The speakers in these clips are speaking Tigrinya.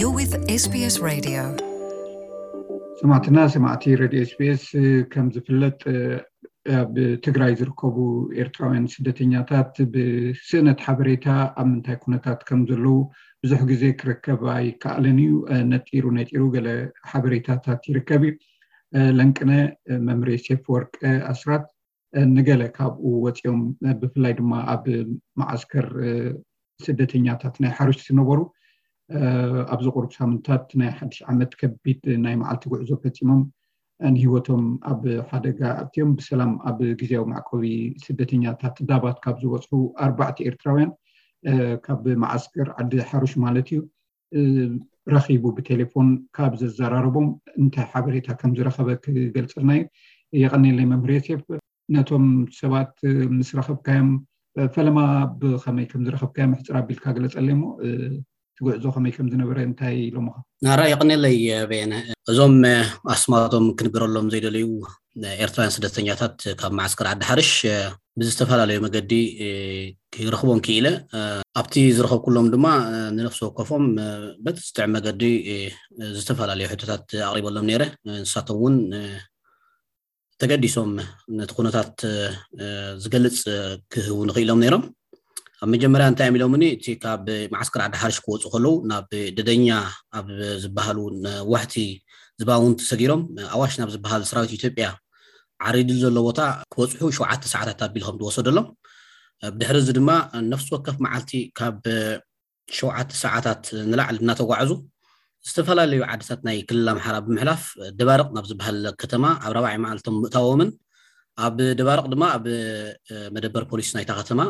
You're with S B S Radio. ሰማዕትና ሰማዕቲ ሬድዮ ኤስቢኤስ፣ ከም ዝፍለጥ ኣብ ትግራይ ዝርከቡ ኤርትራውያን ስደተኛታት ብስእነት ሓበሬታ ኣብ ምንታይ ኩነታት ከም ዘለዉ ብዙሕ ግዜ ክርከብ ኣይከኣልን እዩ። ነጢሩ ነጢሩ ገለ ሓበሬታታት ይርከብ እዩ። ለንቅነ መምሬ ሴፍ ወርቅ ኣስራት ንገለ ካብኡ ወፂኦም፣ ብፍላይ ድማ ኣብ መዓስከር ስደተኛታት ናይ ሓሩሽ ዝነበሩ ኣብዚ ቁሩብ ሳምንታት ናይ ሓድሽ ዓመት ከቢድ ናይ መዓልቲ ጉዕዞ ፈፂሞም ንህይወቶም ኣብ ሓደጋ ኣትዮም ብሰላም ኣብ ግዜያዊ መዕቆቢ ስደተኛታት ዳባት ካብ ዝበፅሑ ኣርባዕተ ኤርትራውያን ካብ መዓስከር ዓዲ ሓሩሽ ማለት እዩ ረኺቡ ብቴሌፎን ካብ ዘዘራረቦም እንታይ ሓበሬታ ከም ዝረኸበ ክገልፀልና እዩ። የቐኔለይ መምህር ዮሴፍ። ነቶም ሰባት ምስ ረኸብካዮም ፈለማ ብኸመይ ከም ዝረኸብካዮም ሕፅር ኣቢልካ ግለፀለይ እሞ እቲ ጉዕዞ ከመይ ከም ዝነበረ እንታይ ኢሎምኻ? ናራ የቐኔለይ በየነ። እዞም ኣስማቶም ክንገረሎም ዘይደለዩ ኤርትራውያን ስደተኛታት ካብ መዓስከር ዓዲ ሓርሽ ብዝተፈላለዩ መገዲ ክረኽቦም ክኢለ። ኣብቲ ዝረኸብኩሎም ድማ ንነፍሲ ወከፎም በቲ ዝጥዕም መገዲ ዝተፈላለዩ ሕቶታት ኣቕሪበሎም ነይረ። ንሳቶም እውን ተገዲሶም ነቲ ኩነታት ዝገልፅ ክህቡ ንኽኢሎም ነይሮም። ኣብ መጀመርያ እንታይ እዮም ኢሎምኒ? እቲ ካብ መዓስከር ዓዲ ሓርሽ ክወፁ ከለዉ ናብ ደደኛ ኣብ ዝበሃሉ ነዋሕቲ ዝባውንቲ ሰጊሮም ኣዋሽ ናብ ዝበሃል ሰራዊት ኢትዮጵያ ዓሪዱ ዘሎ ቦታ ክበፅሑ ሸውዓተ ሰዓታት ኣቢልኩም ዝወሰደሎም። ብድሕሪ እዚ ድማ ነፍሲ ወከፍ መዓልቲ ካብ ሸውዓተ ሰዓታት ንላዕሊ እናተጓዕዙ ዝተፈላለዩ ዓድታት ናይ ክልል ኣምሓራ ብምሕላፍ ደባርቕ ናብ ዝበሃል ከተማ ኣብ ራብዓይ መዓልቶም ምእታዎምን ኣብ ደባርቕ ድማ ኣብ መደበር ፖሊስ ናይታ ከተማ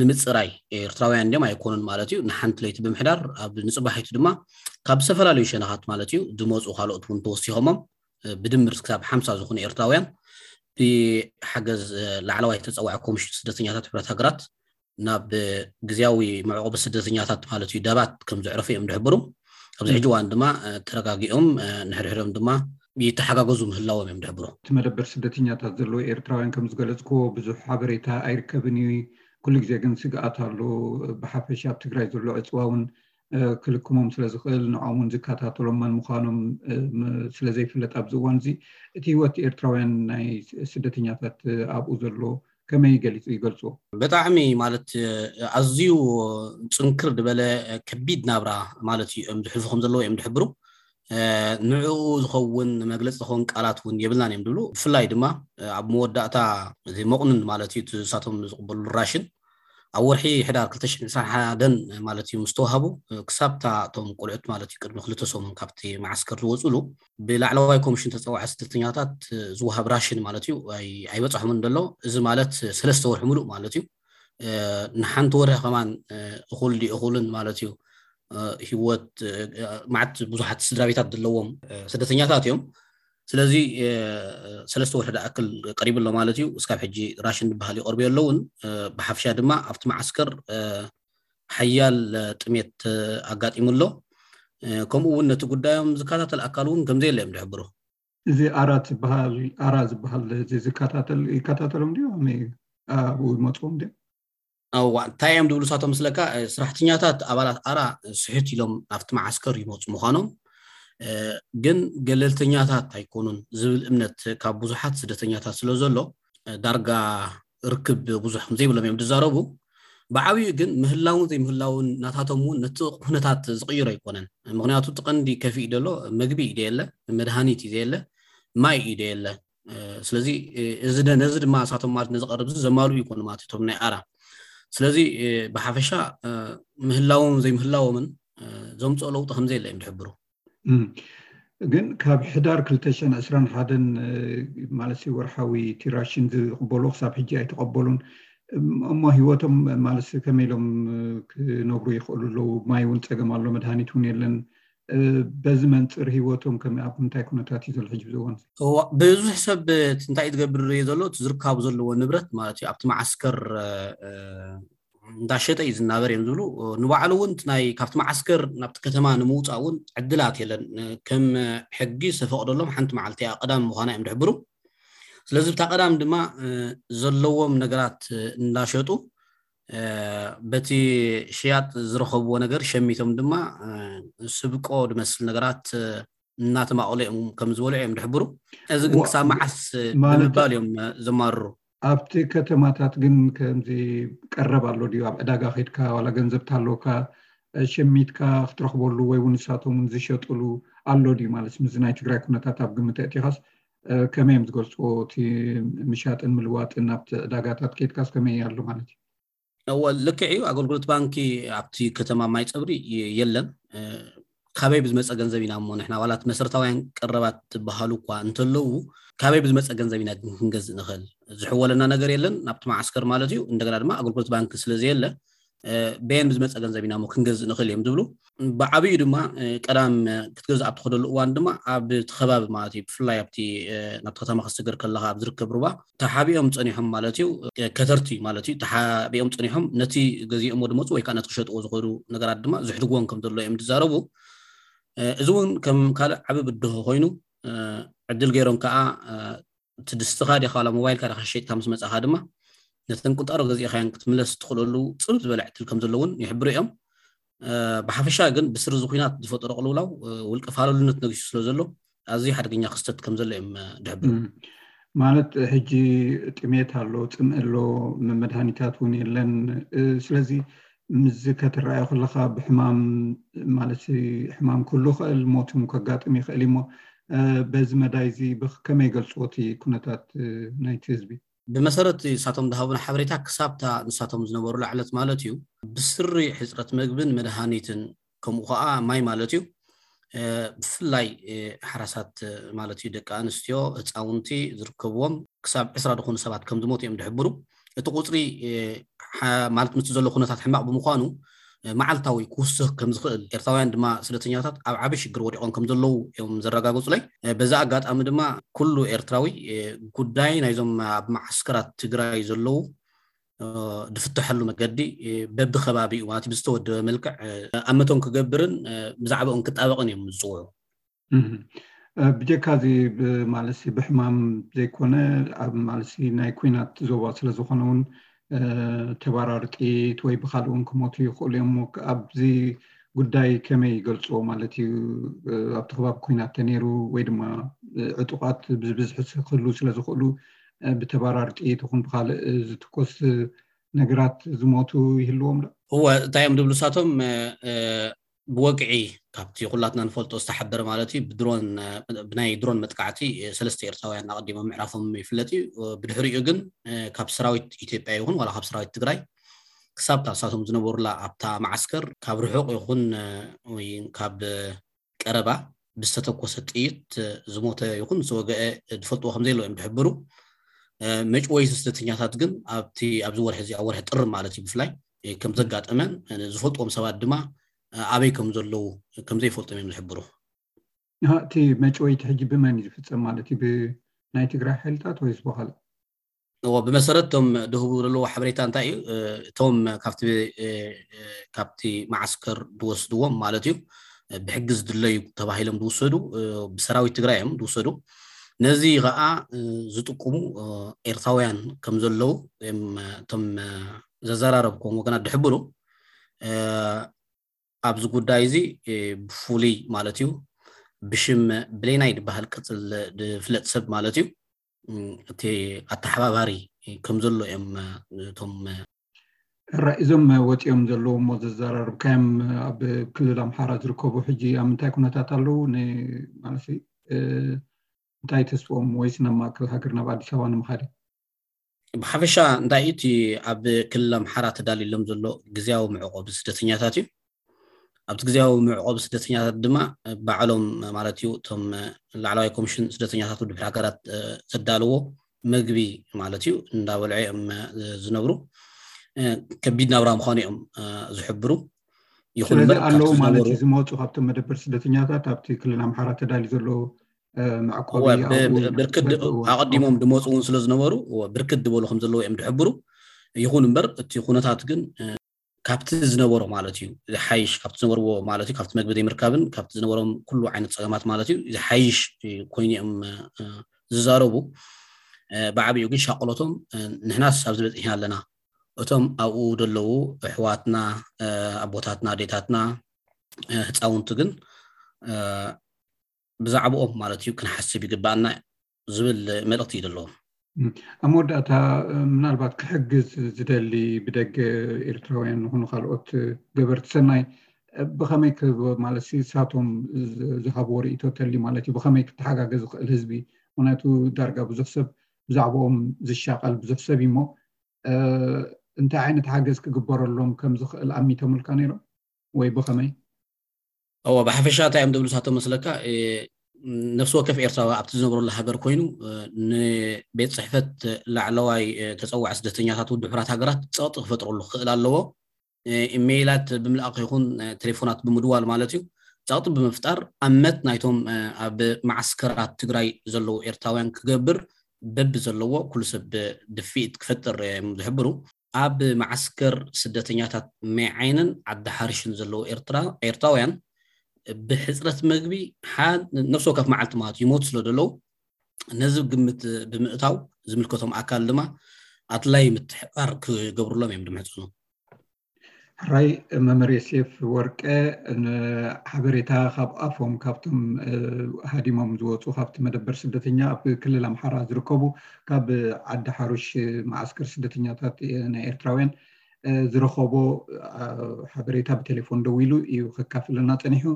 ንምፅራይ ኤርትራውያን እንዲም ኣይኮኑን ማለት እዩ ንሓንቲ ለይቲ ብምሕዳር ኣብ ንፅባሒቱ ድማ ካብ ዝተፈላለዩ ሸነኻት ማለት እዩ ዝመፁ ካልኦት እውን ተወሲኾሞም ብድምር ክሳብ ሓምሳ ዝኾኑ ኤርትራውያን ብሓገዝ ላዕለዋይ ተፀዋዒ ኮሚሽን ስደተኛታት ሕብረት ሃገራት ናብ ግዝያዊ መዕቆቢ ስደተኛታት ማለት እዩ ዳባት ከም ዘዕረፉ እዮም ዝሕብሩ። ኣብዚ ሕጂ እዋን ድማ ተረጋጊኦም ንሕድሕዶም ድማ ይተሓጋገዙ ምህላዎም እዮም ዝሕብሩ። እቲ መደበር ስደተኛታት ዘለዉ ኤርትራውያን ከም ዝገለፅክዎ ብዙሕ ሓበሬታ ኣይርከብን እዩ። ኩሉ ግዜ ግን ስግኣት ኣሎ። ብሓፈሻ ኣብ ትግራይ ዘሎ ዕፅዋ እውን ክልክሞም ስለ ዝኽእል ንዖም እውን ዝከታተሎም መን ምዃኖም ስለ ዘይፍለጥ ኣብዚ እዋን እዚ እቲ ህይወት ኤርትራውያን ናይ ስደተኛታት ኣብኡ ዘሎ ከመይ ገሊፁ ይገልፅዎ? ብጣዕሚ ማለት ኣዝዩ ፅንክር ዝበለ ከቢድ ናብራ ማለት እዩ እዮም ዝሕልፉ ከም ዘለዉ እዮም ዝሕብሩ። ንዕኡ ዝኸውን መግለፂ ዝኸውን ቃላት እውን የብልናን እዮም ዝብሉ። ብፍላይ ድማ ኣብ መወዳእታ እዚ መቑንን ማለት እዩ እቲ ንሳቶም ዝቕበሉ ራሽን ኣብ ወርሒ ሕዳር ክልተ ሽሕን ዕስራን ሓደን ማለት እዩ ምስ ተዋሃቡ ክሳብታ እቶም ቆልዑት ማለት እዩ ቅድሚ ክልተ ሰሙን ካብቲ መዓስከር ዝወፅሉ ብላዕለዋይ ኮሚሽን ተፀዋዒ ስደተኛታት ዝወሃብ ራሽን ማለት እዩ ኣይበፅሖምን ዘሎ። እዚ ማለት ሰለስተ ወርሒ ሙሉእ ማለት እዩ። ንሓንቲ ወርሒ ከማን እኹል ድዩ እኹልን ማለት እዩ። ህይወት ማዕት ብዙሓት ስድራ ቤታት ዘለዎም ስደተኛታት እዮም። ስለዚ ሰለስተ ወርሒ ዝኣክል ቀሪቡ ኣሎ ማለት እዩ። እስካብ ሕጂ ራሽን ዝበሃል ይቐርቡ ኣለውን። ብሓፍሻ ድማ ኣብቲ መዓስከር ሓያል ጥሜት ኣጋጢሙ ኣሎ። ከምኡ እውን ነቲ ጉዳዮም ዝከታተል ኣካል እውን ከምዘየለ እዮም ዝሕብሩ። እዚ ኣራት ዝበሃል ኣራ ዝበሃል እዚ ዝከታተል ይከታተሎም ድዩ? ከመይ እዩ? ኣብኡ ይመፅዎም ድዮም? እዋ እንታይ እዮም ዝብሉ ሳቶም ስለካ ስራሕተኛታት ኣባላት ኣራ ስሕት ኢሎም ኣብቲ መዓስከር ይመፁ ምዃኖም ግን ገለልተኛታት ኣይኮኑን ዝብል እምነት ካብ ብዙሓት ስደተኛታት ስለ ዘሎ ዳርጋ ርክብ ብዙሕ ከምዘይብሎም እዮም ዝዛረቡ። ብዓብዩ ግን ምህላውን ዘይምህላውን ናታቶም እውን ነቲ ኩነታት ዝቕይሮ ኣይኮነን። ምክንያቱ እቲ ቀንዲ ከፊእ ደሎ መግቢ እዩ ደየለ፣ መድሃኒት እዩ ዘየለ፣ ማይ እዩ ደየለ። ስለዚ እዚ ነዚ ድማ እሳቶም ማለት ነዚ ቀረብ እዚ ዘማልኡ ይኮኑ ማለት እቶም ናይ ኣራ። ስለዚ ብሓፈሻ ምህላዎም ዘይምህላዎምን ዘምፅኦ ለውጢ ከምዘየለ እዮም ዝሕብሩ። ግን ካብ ሕዳር ክልተ ሽሕን ዕስራን ሓደን ማለት ወርሓዊ እቲ ራሽን ዝቕበሉ ክሳብ ሕጂ ኣይተቐበሉን። እሞ ህይወቶም ማለት ከመይ ኢሎም ክነብሩ ይኽእሉ ኣለዉ? ማይ እውን ፀገም ኣሎ፣ መድሃኒት እውን የለን። በዚ መንፅር ህይወቶም ከመይ ኣብ ምንታይ ኩነታት እዩ ዘሎ ሕጂ ብዝእዋን? ብዙሕ ሰብ እንታይ እዩ ዝገብር ሪኦ ዘሎ እቲ ዝርካቡ ዘለዎ ንብረት ማለት እዩ ኣብቲ መዓስከር እንዳሸጠ እዩ ዝናበር እዮም ዝብሉ። ንባዕሉ እውን ናይ ካብቲ መዓስከር ናብቲ ከተማ ንምውፃእ እውን ዕድላት የለን። ከም ሕጊ ዝተፈቅደሎም ሓንቲ መዓልቲ እያ ቀዳም ምዃና እዮም ድሕብሩ። ስለዚ ብታ ቀዳም ድማ ዘለዎም ነገራት እንዳሸጡ በቲ ሽያጥ ዝረኸብዎ ነገር ሸሚቶም ድማ ስብቆ ዝመስል ነገራት እናተማቐሉ እዮም ከም ዝበልዑ እዮም ዝሕብሩ። እዚ ግን ክሳብ መዓስ ብምባል እዮም ዘማርሩ። ኣብቲ ከተማታት ግን ከምዚ ቀረብ ኣሎ ድዩ? ኣብ ዕዳጋ ከድካ ዋላ ገንዘብ ታለካ ሸሚትካ ክትረኽበሉ ወይ እውን ንሳቶም ዝሸጥሉ ኣሎ ድዩ ማለት? ምስ ናይ ትግራይ ኩነታት ኣብ ግምት ኣእቲኻስ ከመይ እዮም ዝገልፅዎ? እቲ ምሻጥን ምልዋጥን ኣብቲ ዕዳጋታት ከድካስ ከመይ ኣሎ ማለት እዩ? እወ፣ ልክዕ እዩ። ኣገልግሎት ባንኪ ኣብቲ ከተማ ማይ ፀብሪ የለን። ካበይ ብዝመፀ ገንዘብ ኢና እሞ ንሕና ዋላት መሰረታውያን ቀረባት ዝበሃሉ እኳ እንተለዉ፣ ካበይ ብዝመፀ ገንዘብ ኢና ግን ክንገዝእ ንኽእል? ዝሕወለና ነገር የለን ናብቲ መዓስከር ማለት እዩ። እንደገና ድማ ኣገልግሎት ባንኪ ስለዘየለ በየን ብዝመፀ ገንዘብ ኢና እሞ ክንገዝእ ንኽእል እዮም ዝብሉ። ብዓብዩ ድማ ቀዳም ክትገዝእ ኣብ ትኸደሉ እዋን ድማ ኣብ ከባቢ ማለት እዩ፣ ብፍላይ ኣብቲ ናብቲ ከተማ ክስገር ከለካ ኣብ ዝርከብ ሩባ ተሓቢኦም ፀኒሖም ማለት እዩ። ከተርቲ ማለት እዩ ተሓቢኦም ፀኒሖም ነቲ ገዚኦሞ ድመፁ ወይ ከዓ ነቲ ክሸጥዎ ዝኸዱ ነገራት ድማ ዝሕድግዎም ከም ዘሎ እዮም ዝዛረቡ። እዚ እውን ከም ካልእ ዓቢ ብድሆ ኮይኑ ዕድል ገይሮም ከዓ እቲ ድስትኻ ዲኻ ዋላ ሞባይልካ ዲኻ ሸይጥካ ምስ መጻኻ ድማ ነተን ቁንጣሮ ገዚእኻያን ክትምለስ ትኽእለሉ ጽብብ ዝበለ ዕድል ከም ዘሎ እውን ይሕብሩ እዮም። ብሓፈሻ ግን ብስሪ እዚ ኩናት ዝፈጠሮ ቅልውላው ውልቀ ፋለሉነት ነጊሱ ስለ ዘሎ ኣዝዩ ሓደገኛ ክስተት ከም ዘሎ እዮም ዝሕብሩ። ማለት ሕጂ ጥሜት ኣሎ፣ ጽምእ ኣሎ፣ መድሃኒታት እውን የለን። ስለዚ ምስዚ ከተረኣዮ ከለካ ብሕማም ማለት ሕማም ክህሉ ይኽእል፣ ሞት እውን ከጋጥም ይኽእል እሞ በዚ መዳይ እዚ ከመይ ይገልፅዎ እቲ ኩነታት ናይቲ ህዝቢ? ብመሰረት ንሳቶም ዝሃቡና ሓበሬታ ክሳብታ ንሳቶም ዝነበሩላ ዕለት ማለት እዩ ብስሪ ሕፅረት መግብን መድሃኒትን ከምኡ ከዓ ማይ ማለት እዩ ብፍላይ ሓራሳት ማለት እዩ ደቂ ኣንስትዮ ህፃውንቲ ዝርከብዎም ክሳብ ዕስራ ዝኾኑ ሰባት ከም ዝሞቱ እዮም ዝሕብሩ። እቲ ቁፅሪ ማለት ምስቲ ዘሎ ኩነታት ሕማቕ ብምዃኑ መዓልታዊ ክውስኽ ከም ዝኽእል ኤርትራውያን ድማ ስደተኛታት ኣብ ዓቢ ሽግር ወዲቖም ከም ዘለዉ እዮም ዘረጋገጹለይ። በዛ ኣጋጣሚ ድማ ኩሉ ኤርትራዊ ጉዳይ ናይዞም ኣብ መዓስከራት ትግራይ ዘለዉ ዝፍተሐሉ መገዲ በብከባቢኡ ማለት ብዝተወደበ መልክዕ ኣመቶም ክገብርን ብዛዕባኦም ክጣበቕን እዮም ዝፅውዑ። ብጀካ እዚ ማለት ብሕማም ዘይኮነ ኣብ ማለት ናይ ኩናት ዞባ ስለዝኾነ እውን ተባራሪ ጥይት ወይ ብካልእ እውን ክሞቱ ይኽእሉ እዮም። ኣብዚ ጉዳይ ከመይ ይገልፅዎ ማለት እዩ? ኣብቲ ከባቢ ኩናት ተነይሩ ወይ ድማ ዕጡቃት ብዝብዝሒ ክህሉ ስለዝኽእሉ ብተባራሪ ጥይት ይኹን ብካልእ ዝትኮስ ነገራት ዝሞቱ ይህልዎም ዶ? እወ፣ እንታይ እዮም ዝብሉ ንሳቶም ብወግዒ ካብቲ ኩላትና ንፈልጦ ዝተሓበረ ማለት እዩ ብድሮን ብናይ ድሮን መጥቃዕቲ ሰለስተ ኤርትራውያን ኣቐዲሞም ምዕራፎም ይፍለጥ እዩ። ብድሕሪኡ ግን ካብ ሰራዊት ኢትዮጵያ ይኹን ዋላ ካብ ሰራዊት ትግራይ ክሳብ እታ ንሳቶም ዝነበሩላ ኣብታ መዓስከር ካብ ርሑቕ ይኹን ወይ ካብ ቀረባ ብዝተተኮሰ ጥይት ዝሞተ ይኹን ዝወገአ ዝፈልጥዎ ከም ዘየለ እዮም ዝሕብሩ። መጭወይቲ ስደተኛታት ግን ኣብቲ ኣብዚ ወርሒ እዚ ኣብ ወርሒ ጥሪ ማለት እዩ ብፍላይ ከም ዘጋጠመን ዝፈልጥዎም ሰባት ድማ ኣበይ ከም ዘለዉ ከም ዘይፈልጦም እዮም ዝሕብሩ። እቲ መጭወይቲ ሕጂ ብመን እዩ ዝፍፀም ማለት እዩ? ብናይ ትግራይ ሓይልታት ወይስ ብኻልእ? እዎ፣ ብመሰረት እቶም ዝህቡ ዘለዉ ሓበሬታ እንታይ እዩ? እቶም ካብቲ ካብቲ መዓስከር ዝወስድዎም ማለት እዩ ብሕጊ ዝድለዩ ተባሂሎም ዝውሰዱ ብሰራዊት ትግራይ እዮም ዝውሰዱ። ነዚ ከዓ ዝጥቁሙ ኤርትራውያን ከም ዘለዉ እዮም እቶም ዘዘራረብኩም ወገናት ዝሕብሩ። ኣብዚ ጉዳይ እዚ ብፍሉይ ማለት እዩ ብሽም ብሌናይ ዝበሃል ቅፅል ዝፍለጥ ሰብ ማለት እዩ እቲ ኣተሓባባሪ ከም ዘሎ እዮም እቶም ራ እዞም ወፂኦም ዘለዉ እሞ ዘዘራርብካዮም ኣብ ክልል ኣምሓራ ዝርከቡ ሕጂ ኣብ ምንታይ ኩነታት ኣለዉ? ማለት እንታይ ተስፍኦም ወይስ ናብ ማእከል ሃገር ናብ ኣዲስ ኣበባ ንምኻድ? ብሓፈሻ እንታይ እቲ ኣብ ክልል ኣምሓራ ተዳልዩሎም ዘሎ ግዝያዊ መዕቆቢ ስደተኛታት እዩ። ኣብቲ ግዝያዊ መዕቆቢ ስደተኛታት ድማ ባዕሎም ማለት እዩ እቶም ላዕለዋይ ኮሚሽን ስደተኛታት ውድብ ሃገራት ዘዳልዎ መግቢ ማለት እዩ እንዳበልዑ እዮም ዝነብሩ። ከቢድ ናብራ ምዃኑ እዮም ዝሕብሩ። ይኹን እምበር ኣለዉ ማለት እዩ ዝመፁ ካብቶም መደበር ስደተኛታት ኣብቲ ክልል ኣምሓራ ተዳልዩ ዘሎ መዕቆቢ ኣቐዲሞም ድመፁ እውን ስለ ዝነበሩ ብርክት ዝበሉ ከም ዘለዉ እዮም ዝሕብሩ። ይኹን እምበር እቲ ኩነታት ግን ካብቲ ዝነበሮ ማለት እዩ ዝሓይሽ ካብቲ ዝነበርዎ ማለት እዩ ካብቲ መግቢ ዘይምርካብን ካብቲ ዝነበሮም ኩሉ ዓይነት ፀገማት ማለት እዩ ዝሓይሽ ኮይኑ እዮም ዝዛረቡ። ብዓብኡ ግን ሻቆሎቶም ንሕናስ ኣብዚ በፂሕና ኣለና እቶም ኣብኡ ዘለዉ ኣሕዋትና፣ ኣቦታትና፣ ኣዴታትና፣ ህፃውንቲ ግን ብዛዕባኦም ማለት እዩ ክንሓስብ ይግባኣና ዝብል መልእኽቲ እዩ ዘለዎም። ኣብ መወዳእታ ምናልባት ክሕግዝ ዝደሊ ብደገ ኤርትራውያን ንኹኑ ካልኦት ገበርቲ ሰናይ ብኸመይ ማለት ንሳቶም ዝሃብዎ ርእይቶ ተሊ ማለት እዩ ብኸመይ ክተሓጋገዝ ዝኽእል ህዝቢ? ምክንያቱ ዳርጋ ብዙሕ ሰብ ብዛዕባኦም ዝሻቐል ብዙሕ ሰብ እሞ እንታይ ዓይነት ሓገዝ ክግበረሎም ከም ዝኽእል ኣሚቶምልካ ነይሮም ወይ ብኸመይ? እወ፣ ብሓፈሻ እንታይ እዮም ዝብሉ ንሳቶም መስለካ? ነፍሲ ወከፍ ኤርትራዊ ኣብቲ ዝነብረሉ ሃገር ኮይኑ ንቤት ፅሕፈት ላዕለዋይ ተፀዋዒ ስደተኛታት ውድብ ሕቡራት ሃገራት ፀቕጢ ክፈጥረሉ ክኽእል ኣለዎ። ኢሜይላት ብምልኣኽ ይኹን ቴሌፎናት ብምድዋል ማለት እዩ፣ ፀቕጢ ብምፍጣር ኣመት ናይቶም ኣብ መዓስከራት ትግራይ ዘለዉ ኤርትራውያን ክገብር በቢ ዘለዎ ኩሉ ሰብ ድፍኢት ክፈጥር እዮም ዝሕብሩ። ኣብ መዓስከር ስደተኛታት ሜዓይንን ዓዲ ሓርሽን ዘለዉ ኤርትራውያን ብሕፅረት መግቢ ነፍሲ ወከፍ መዓልቲ ማለት ይሞቱ ስለ ዘለዉ ነዚ ግምት ብምእታው ዝምልከቶም ኣካል ድማ ኣድላይ ምትሕባር ክገብሩሎም እዮም ድምሕፅኑ። ሕራይ መምህር ዮሴፍ ወርቀ፣ ሓበሬታ ካብ ኣፎም ካብቶም ሃዲሞም ዝወፁ ካብቲ መደበር ስደተኛ ኣብ ክልል ኣምሓራ ዝርከቡ ካብ ዓዲ ሓሩሽ መዓስከር ስደተኛታት ናይ ኤርትራውያን ዝረኸቦ ሓበሬታ ብቴሌፎን ደዊሉ እዩ ከካፍለና ፀኒሑ።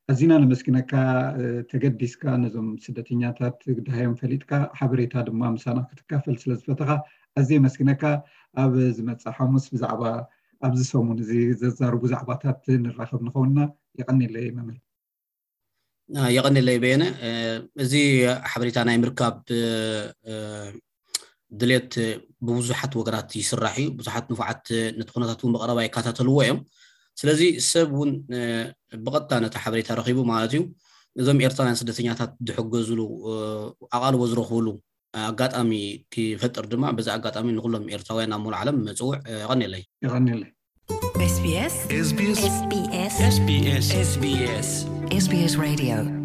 ኣዚና ነመስግነካ። ተገዲስካ ነዞም ስደተኛታት ግዳዮም ፈሊጥካ ሓበሬታ ድማ ምሳና ክትካፈል ስለዝፈተኻ ኣዝየ መስግነካ። ኣብ ዝመፅእ ሓሙስ ብዛዕባ ኣብዚ ሰሙን እዚ ዘዛርቡ ዛዕባታት ንራኸብ ንኸውንና። የቐኒለይ መምህር። የቐኒለይ በየነ። እዚ ሓበሬታ ናይ ምርካብ ድሌት ብብዙሓት ወገናት ይስራሕ እዩ። ብዙሓት ንፉዓት ነቲ ኩነታት እውን ብቐረባ ይከታተልዎ እዮም። ስለዚ ሰብ እውን ብቐጥታ ነቲ ሓበሬታ ረኺቡ ማለት እዩ እዞም ኤርትራውያን ስደተኛታት ዝሕገዝሉ ኣቓልቦ ዝረኽብሉ ኣጋጣሚ ክፈጥር ድማ በዚ ኣጋጣሚ ንኩሎም ኤርትራውያን ኣብ ሙሉእ ዓለም መፅውዕ። የቐኒለይ። የቐኒለይ። SBS SBS SBS SBS SBS SBS Radio